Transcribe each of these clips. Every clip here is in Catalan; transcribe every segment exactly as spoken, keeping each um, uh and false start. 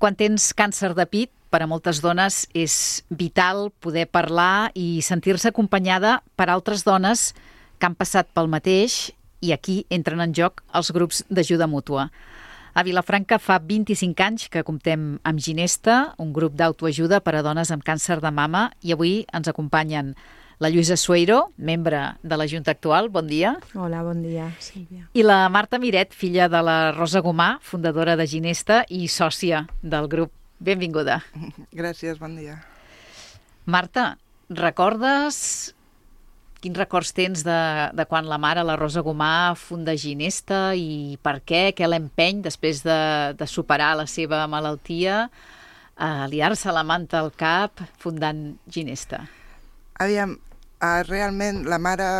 Quan tens càncer de pit, per a moltes dones és vital poder parlar i sentir-se acompanyada per altres dones que han passat pel mateix, i aquí entren en joc els grups d'ajuda mútua. A Vilafranca fa vint-i-cinc anys que comptem amb Ginesta, un grup d'autoajuda per a dones amb càncer de mama, i avui ens acompanyen la Lluïsa Sueiro, membre de la Junta actual. Bon dia. Hola, bon dia, Sílvia. I la Marta Miret, filla de la Rosa Gomà, fundadora de Ginesta i sòcia del grup. Benvinguda. Gràcies, bon dia. Marta, recordes... Quins records tens de, de quan la mare, la Rosa Gomà, funda Ginesta i per què? Què l'empeny després de, de superar la seva malaltia a liar-se la manta al cap fundant Ginesta? Aviam, uh, realment la mare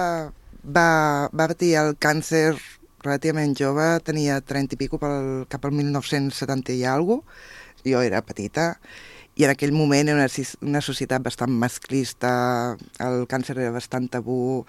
va, va patir el càncer relativament jove, tenia trenta i pico pel, cap al mil nou-cents setanta i alguna cosa. Jo era petita i en aquell moment era una, una societat bastant masclista, el càncer era bastant tabú.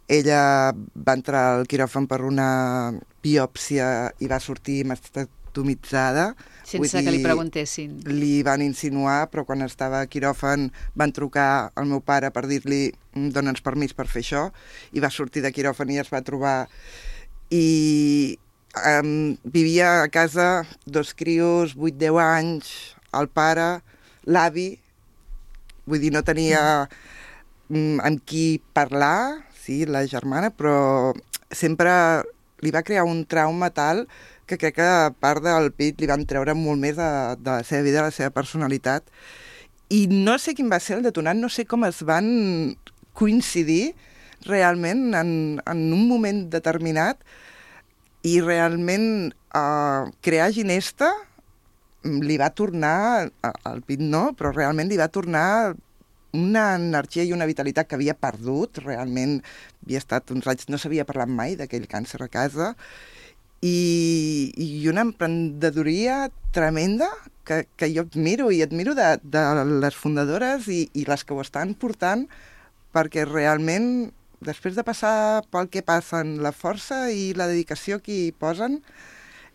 Ella va entrar al quiròfan per una biòpsia i va sortir mastectomitzada. Sense dir, que li preguntessin. Li van insinuar, però quan estava a quiròfan van trucar al meu pare per dir-li dona'ns permís per fer això, i va sortir de quiròfan i es va trobar. I um, vivia a casa dos crios, vuit deu anys, el pare, l'avi, vull dir, no tenia mm, amb qui parlar, sí, la germana, però sempre li va crear un trauma tal que crec que a part del pit li van treure molt més de, de la seva vida, de la seva personalitat. I no sé quin va ser el detonant, no sé com es van coincidir realment en, en un moment determinat i realment eh, crear Ginesta li va tornar, al pit no, però realment li va tornar una energia i una vitalitat que havia perdut, realment havia estat uns anys, no s'havia parlat mai d'aquell càncer a casa, i, i una emprendedoria tremenda que, que jo admiro, i admiro de, de les fundadores i, i les que ho estan portant, perquè realment, després de passar pel que passen, la força i la dedicació que hi posen,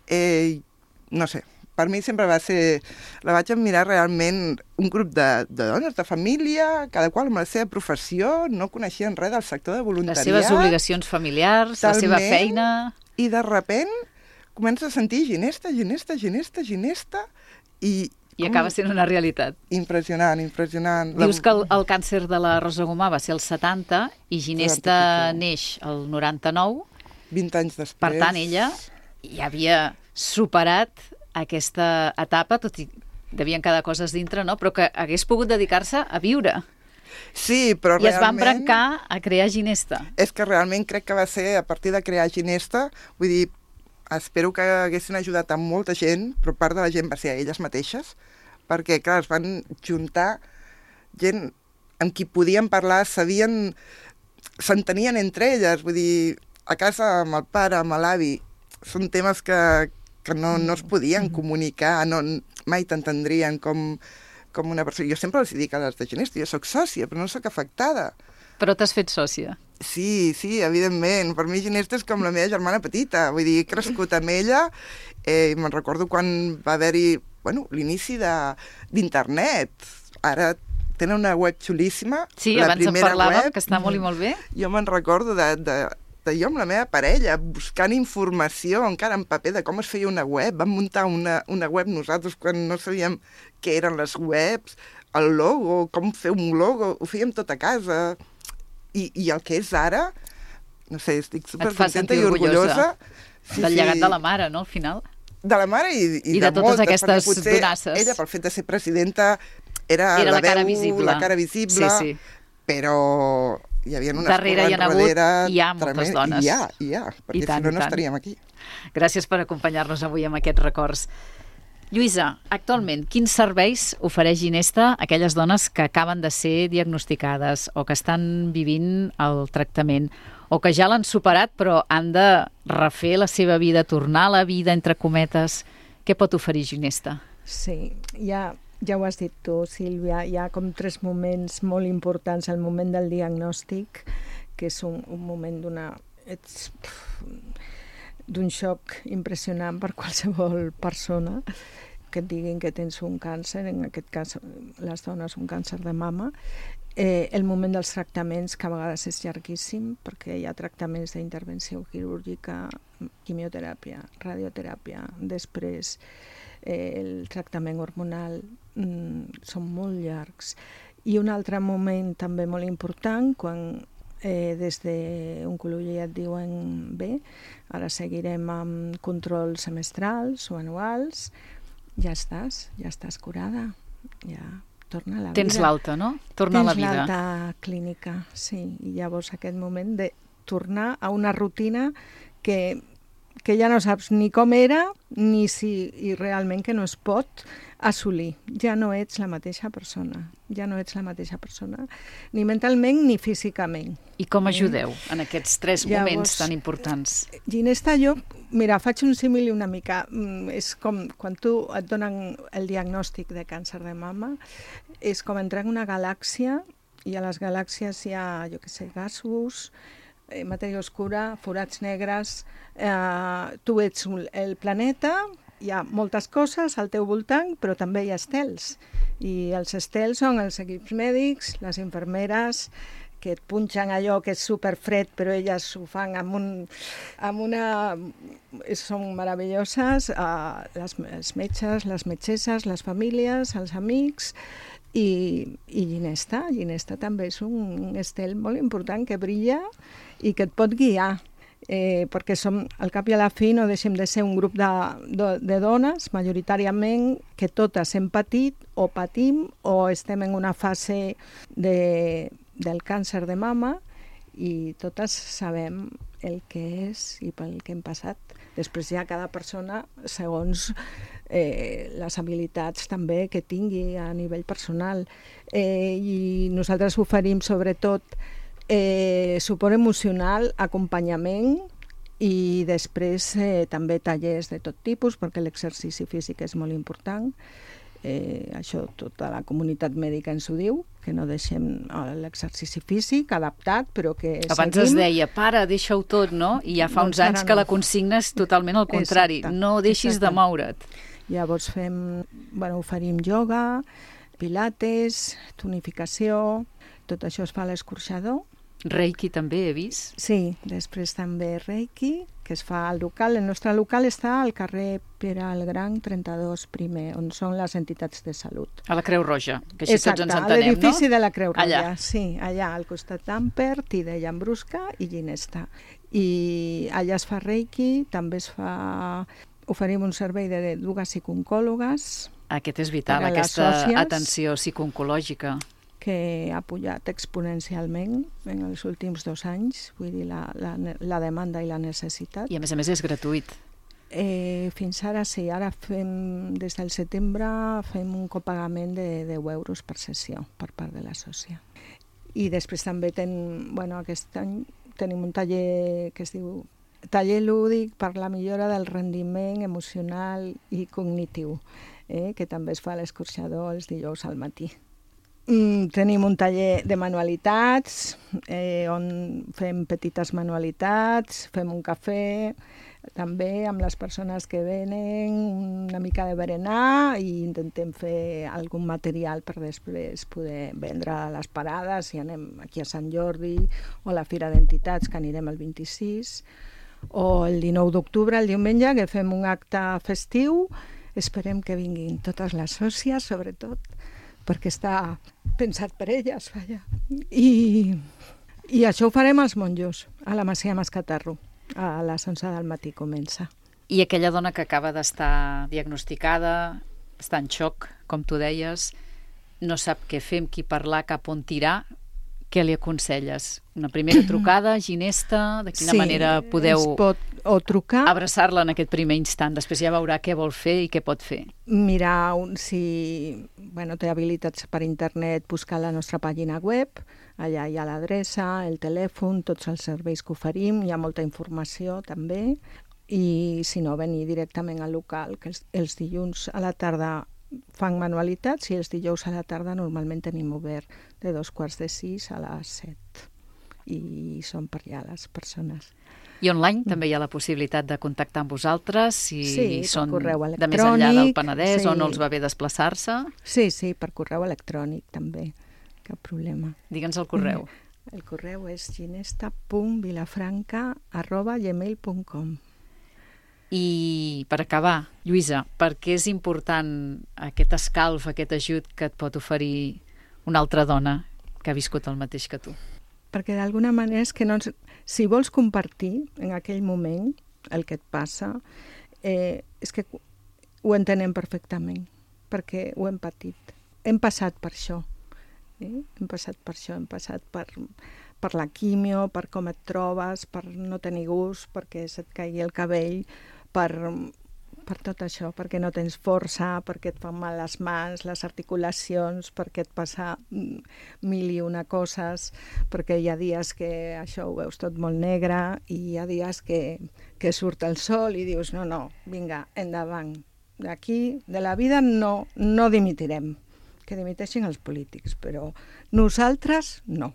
eh, no sé, per mi sempre va ser... La vaig admirar realment un grup de, de dones, de família, cada qual amb la seva professió, no coneixien res del sector de voluntariat. Les seves obligacions familiars, talment, la seva feina... I de repent comença a sentir Ginesta, Ginesta, Ginesta, Ginesta, i... I acaba sent una realitat. Impressionant, impressionant. Dius que el, el càncer de la Rosa Gomà va ser el setanta i Ginesta neix el noranta-nou. vint anys després. Per tant, ella ja havia superat aquesta etapa, tot i devien quedar coses dintre, no? Però que hagués pogut dedicar-se a viure. Sí, però I realment... es va embrancar a crear Ginesta. És que realment crec que va ser a partir de crear Ginesta, vull dir, espero que haguessin ajudat a molta gent, però part de la gent va ser a elles mateixes, perquè, clar, es van juntar gent amb qui podien parlar, sabien, s'entenien entre elles, vull dir, a casa amb el pare, amb l'avi, són temes que, que no, no es podien comunicar, no, mai t'entendrien com, com una persona. Jo sempre els dic a les de Ginesta, jo soc sòcia, però no soc afectada. Però t'has fet sòcia. Sí, sí, evidentment. Per mi Ginesta és com la meva germana petita. Vull dir, he crescut amb ella. Eh, me'n recordo quan va haver-hi bueno, l'inici d'internet. Ara tenen una web xulíssima. Sí, la abans en parlàvem, web, que està molt i molt bé. Jo me'n recordo de, de, de jo amb la meva parella, buscant informació encara en paper de com es feia una web. Vam muntar una, una web nosaltres quan no sabíem què eren les webs, el logo, com fer un logo, ho fèiem tot a casa. I, i el que és ara, no sé, estic supercontenta i orgullosa. Sí, del llegat sí. de la mare, no, al final? De la mare i, i, I de, de totes moltes, aquestes donasses. Ella, pel fet de ser presidenta, era, era la, la cara veu, visible. La cara visible, sí, sí. Però hi havia unes darrere hi ha hagut, hi ha moltes tremend, dones. Hi ha, hi ha, perquè tant, si no, no estaríem aquí. Gràcies per acompanyar-nos avui amb aquests records. Lluïsa, actualment, quins serveis ofereix Ginesta a aquelles dones que acaben de ser diagnosticades o que estan vivint el tractament o que ja l'han superat però han de refer la seva vida, tornar a la vida, entre cometes? Què pot oferir Ginesta? Sí, ja, ja ho has dit tu, Sílvia, hi ha com tres moments molt importants. El moment del diagnòstic, que és un, un moment d'una... Ets... d'un xoc impressionant per qualsevol persona, que et diguin que tens un càncer, en aquest cas les dones un càncer de mama. Eh, el moment dels tractaments, que a vegades és llarguíssim, perquè hi ha tractaments d'intervenció quirúrgica, quimioteràpia, radioteràpia, després eh, el tractament hormonal, mm, són molt llargs. I un altre moment també molt important, quan eh, des d'oncologia et diuen bé, ara seguirem amb controls semestrals o anuals, ja estàs, ja estàs curada, ja torna a la vida. Tens l'alta, no? Torna Tens a la vida. Tens l'alta clínica, sí. I llavors aquest moment de tornar a una rutina que, que ja no saps ni com era, ni si i realment que no es pot assolir. Ja no ets la mateixa persona. Ja no ets la mateixa persona, ni mentalment ni físicament. I com ajudeu en aquests tres Llavors, moments tan importants? Ginesta, jo, mira, faig un símil una mica. És com quan tu et donen el diagnòstic de càncer de mama, és com entrar en una galàxia, i a les galàxies hi ha, jo què sé, gasos, eh, matèria oscura, forats negres, eh, tu ets el planeta, hi ha moltes coses al teu voltant, però també hi ha estels. I els estels són els equips mèdics, les infermeres, que et punxen allò que és superfred, però elles ho fan amb, un, amb una... Són meravelloses, uh, les, els metges, les metgesses, les famílies, els amics, i, i Ginesta. Ginesta també és un estel molt important que brilla i que et pot guiar. Eh, perquè som, al cap i a la fi no deixem de ser un grup de, de, de dones, majoritàriament, que totes hem patit o patim o estem en una fase de, del càncer de mama i totes sabem el que és i pel que hem passat. Després ja cada persona, segons eh, les habilitats també que tingui a nivell personal. Eh, I nosaltres oferim sobretot Eh, suport emocional, acompanyament i després eh, també tallers de tot tipus, perquè l'exercici físic és molt important. Eh, això tota la comunitat mèdica ens ho diu, que no deixem l'exercici físic adaptat, però que Abans seguim. es deia, para, deixa-ho tot, no? I ja fa doncs uns anys no. que la consigna és totalment al contrari. Exacte. No deixis Exacte. de moure't. Llavors fem, bueno, oferim ioga, pilates, tonificació, tot això es fa a l'escorxador. Reiki també he vist. Sí, després també Reiki, que es fa al local. El nostre local està al carrer Pere el Gran, trenta-dos primer, on són les entitats de salut. A la Creu Roja, que així Exacte, tots ens entenem, no? l'edifici de la Creu Roja, allà. Sí, allà al costat d'Ampert i de Llambrusca i Ginesta. I allà es fa Reiki, també es fa... Oferim un servei de dues psicooncòlogues. Aquest és vital, per a les aquesta sòcies, atenció psicooncològica. Que ha pujat exponencialment en els últims dos anys, vull dir, la, la, la demanda i la necessitat. I a més a més és gratuït. Eh, fins ara sí, ara fem, des del setembre fem un copagament de deu euros per sessió per part de la sòcia. I després també ten, bueno, aquest any tenim un taller que es diu taller lúdic per la millora del rendiment emocional i cognitiu, eh, que també es fa a l'escorxador els dijous al matí. Mm, tenim un taller de manualitats, eh, on fem petites manualitats, fem un cafè, també amb les persones que venen, una mica de berenar i intentem fer algun material per després poder vendre a les parades, si anem aquí a Sant Jordi o a la Fira d'Entitats, que anirem el vint-i-sis, o el dinou d'octubre, el diumenge, que fem un acte festiu. Esperem que vinguin totes les sòcies, sobretot, perquè està pensat per elles, vaja. I, i això ho farem als monjos, a la Masia Mascatarro. A les onze del matí comença. I aquella dona que acaba d'estar diagnosticada, està en xoc, com tu deies, no sap què fer, amb qui parlar, cap on tirar, què li aconselles? Una primera trucada, Ginesta, de quina sí, manera podeu pot, o trucar, abraçar-la en aquest primer instant? Després ja veurà què vol fer i què pot fer. mirar un, si bueno, té habilitats per internet, buscar la nostra pàgina web, allà hi ha l'adreça, el telèfon, tots els serveis que oferim, hi ha molta informació també, i si no, venir directament al local, que els, els dilluns a la tarda fan manualitats i els dijous a la tarda normalment tenim obert de dos quarts de sis a les set i són per allà les persones. I online també hi ha la possibilitat de contactar amb vosaltres si Sí, per són correu de més enllà del electrònic, Penedès sí. o no els va bé desplaçar-se. Sí, sí, per correu electrònic també, cap problema. Digue'ns el correu. El correu és ginesta punt vilafranca arroba gmail punt com. I per acabar, Lluïsa, per què és important aquest escalf, aquest ajut que et pot oferir una altra dona que ha viscut el mateix que tu? Perquè d'alguna manera és que no ens... si vols compartir en aquell moment el que et passa, eh, és que ho entenem perfectament, perquè ho hem patit. Hem passat per això. Eh? Hem passat per això, hem passat per, per la quimio, per com et trobes, per no tenir gust, perquè se't caigui el cabell, per, per tot això, perquè no tens força, perquè et fan mal les mans, les articulacions, perquè et passa mil i una coses, perquè hi ha dies que això ho veus tot molt negre i hi ha dies que, que surt el sol i dius, no, no, vinga, endavant. D'aquí, de la vida, no, no dimitirem. Que dimiteixin els polítics, però nosaltres no.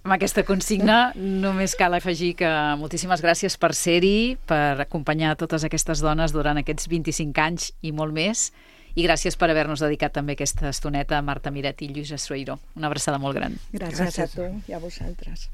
Amb aquesta consigna només cal afegir que moltíssimes gràcies per ser-hi, per acompanyar totes aquestes dones durant aquests vint-i-cinc anys i molt més, i gràcies per haver-nos dedicat també aquesta estoneta a Marta Miret i Lluïsa Sueiro. Una abraçada molt gran. Gràcies, gràcies a tu i a vosaltres.